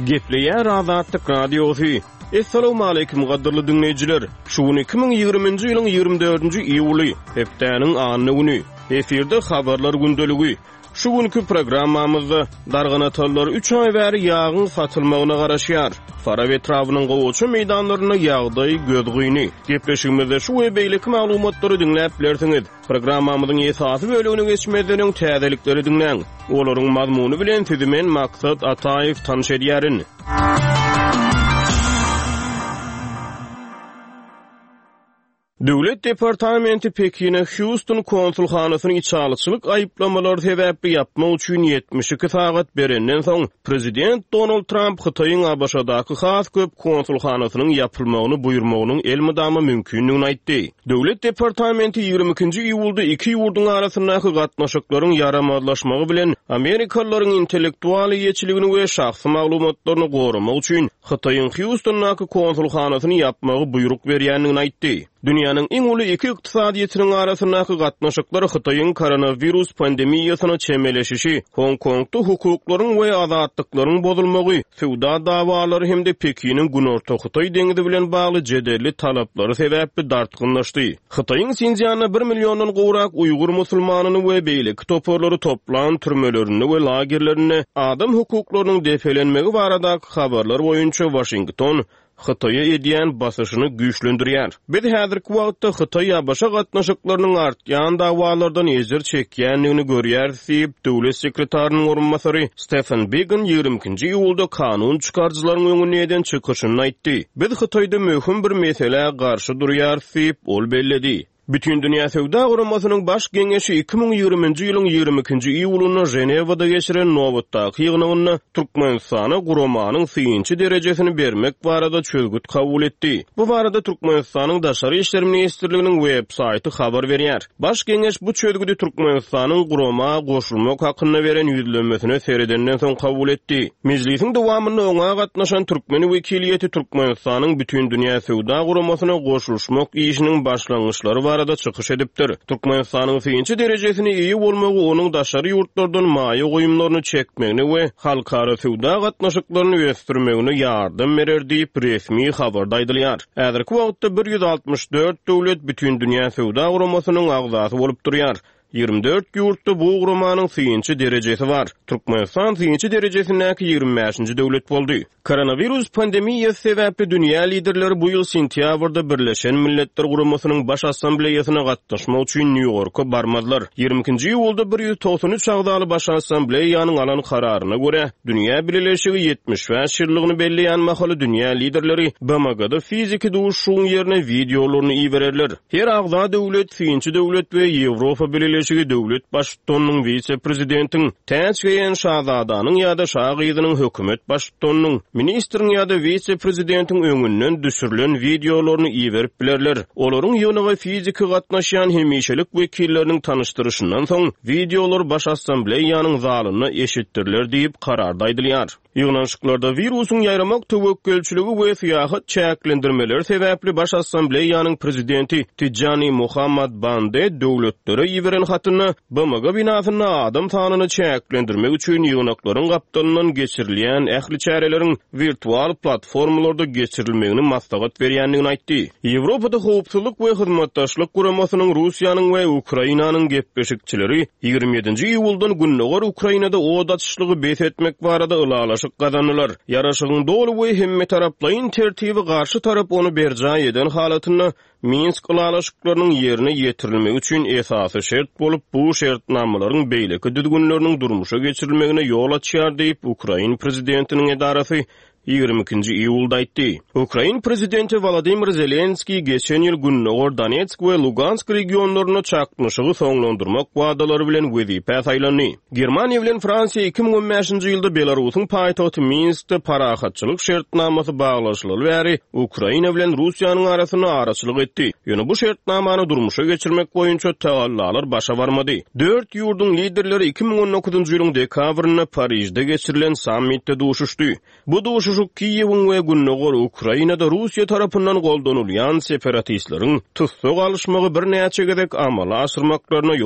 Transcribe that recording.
Gepleýär Azatlyk Radiosy. Essalawmaleýkim gadyrly diňleýjiler! Şu gün 2020-nji ýylyň 24-nji iýuly, hepdäniň anna güni. Efirde habarlar gündeligi. Şu günki programmamyzda Darganatalylar üç aý bäri ýagyň satylmagyna garaşýar. Farap etrabynyň gowaça meýdanlarynda ýagdaý gözgyny. Gepleşigimizde şu we beýleki maglumatlary diňläp bilersiňiz. Programmamyzyň esasy bölegine geçmezden öň täzelikleri diňläň. Olaryň mazmuny bilen sizi men Maksat Ataýew tanyş edýärin. Döwlet departamenti Pekine Hýuston konsulhanasyny içalyçylyk aýyplamalary sebäpli ýapmak üçin 72 sagat berenden soň, prezident Donald Tramp Hytaýyň ABŞ-daky has köp konsulhanasynyň ýapylmagyny buýurmagynyň elmydama mümkindigini aýtdy. Döwlet departamenti 22-nji iýulda iki ýurduň arasyndaky gatnaşyklaryň ýaramazlaşmagy bilen amerikalylaryň intellektual eýeçiligini we şahsy maglumatlaryny goramak üçin Hytaýyň Hýustondaky konsulhanasyny ýapmagy buýruk berýändigini aýtdy. Dünýäniň iň uly iki ykdysadyýetiniň arasyndaky gatnaşyklar Hytaýyň koronawirus pandemiýasyna çemeleşişi, Hong-Kongda hukuklaryň we azatlyklaryň bozulmagy, söwda dawalary hem-de Pekiniň Günorta Hytaý deňizi bilen bagly jedelli talaplary sebäpli dartgynlaşdy. Hytaýyň Sinszýanda bir milliondan gowrak uýgur musulmanyny we beýleki toparlary toplan türmelerinde we lagerlerinde adam hukuklarynyň depelenmegi baradaky habarlar boýunça Waşington Hytaýa edýän basyşyny güýçlendirýär. Biz häzirki wagtda Hytaý-ABŞ gatnaşyklarynyň artýan dawalardan ejir çekýändigini görýäris diýip, döwlet sekretarynyň orunbasary Stefan Bigan 22-nji iýulda kanun çykaryjylaryň öňünde eden çykyşynda aýtdy. Biz Hytaýda möhüm bir meselä garşy durýarys diýip, ol belledi. Bütindünýä Söwda Guramasynyň Baş Geňeşi 2020-nji ýylyň 22-nji iýulynda Ženewada geçiren nobatdaky ýygnagynda Türkmenistana guramanyň synçy derejesini bermek barada çözgüt kabul etdi. Bu barada Türkmenistanyň Daşary işler ministrliginiň web-saýty habar berýär. Baş Geňeş bu çözgüdi Türkmenistanyň gurama goşulmak hakynda beren ýüzlenmesine seredenden soň kabul etdi. Mejlisiň dowamynda oňa gatnaşan türkmen wekiliýeti Türkmenistanyň Bütindünýä Söwda Guramasyna goşulyşmak işiniň başlangyçlary barada çykyş edipdir. Türkmenistanyň synçy derejesine eýe bolmagy onuň daşary ýurtlardan maýa goýumlaryny çekmegine we halkara söwda gatnaşyklaryny ösdürmegine ýardam berer diýip, resmi habarda aýdylýar. Häzirki wagtda 164 döwlet Bütindünýä Söwda Guramasynyň agzasy bolup durýar. 24 ýurtda bu guramanyň synçy derejesi bar. Türkmenistan synçy derejesindäki 25-nji döwlet boldy. Koronawirus pandemiýasy sebäpli dünýä liderleri bu ýyl sentýabrda Birleşen Milletler Guramasynyň Baş Assambleýasyna gatnaşmak üçin Nýu-Ýorka barmazlar. 22-nji iýulda 193 agzaly Baş Assambleýanyň alan kararyna görä, Dünýä bileleşigi 75 ýyllygyny belleýän mahaly dünýä liderleri BMG-da fiziki duşuşygyň ýerine wideolaryny ibererler. Her agza döwlet, synçy döwlet we Ýewropa Bileleşigi döwlet baştutanynyň, wise-prezidentiň, täç geýen şazadanyň ýa-da şa gyzynyň, hökümet baştutanynyň, ministriň ýa-da wise-prezidentiň öňünden düşürilen wideolaryny iberip bilerler. Olaryň ýygnaga fiziki gatnaşýan hemişelik wekilleriniň tanyşdyryşyndan soň, wideolar Baş Assambleýanyň zalynda eşitdiriler diýip, kararda aýdylýar. Ýygnanyşyklarda wirusyň ýaýramak töwekgelçiligi we syýahat çäklendirmeleri sebäpli Baş Assambleýanyň Prezidenti Tijjani Muhammad Bande döwletlere iberen hatynda BMG binasynda adam sanyny çäklendirmek üçin ýygnaklaryň gapdalyndan geçirilýän ähli çäreleriň wirtual platformalarda geçirilmegini maslahat berýändigini aýtdy. Ýewropada Howpsuzlyk we Hyzmatdaşlyk Guramasynyň Russiýanyň we Ukrainanyň gepleşikçileri 27-nji iýuldan gündogar Ukrainada od açyşlygy bes etmek barada ylalaşyk gazandylar. Ýaraşygyň doly we hemmetaraplaýyn tertibi garşy tarap ony berjaý eden halatynda Minsk ylalaşyklarynyň ýerine ýetirilmegi üçin esasy şert bolup, bu şertnamalaryň beýleki düzgünleriniň durmuşa geçirilmegine ýol açýar diýip, ukrain prezidentiniň edarasy 22-nji iýulda aýtdy. Ukrain prezidenti Wolodymyr Zelenskiý geçen ýyl gündogar Donetsk we Lugansk regionlarynda çaknyşygy soňlandyrmak wadalary bilen wezipä saýlandy. Germaniýa bilen Fransiýa 2015-nji ýylda Belarusyň paýtagty Minskde parahatçylyk şertnamasy baglaşylaly bäri Ukraina bilen Russiýanyň arasynda araçylyk etdi. Ýöne bu şertnamany durmuşa geçirmek boýunça tagallalar başa barmady. Dört ýurduň liderleri 2019-njy ýylyň dekabrynda Parižde geçirilen sammitde duşuşdy. Bu duşuşyk Kiýewiň we gündogar Ukrainada Russiýa tarapyndan goldanylýan separatistleriň tussag alyşmagy birnäçe gezek amala aşyrmaklaryna.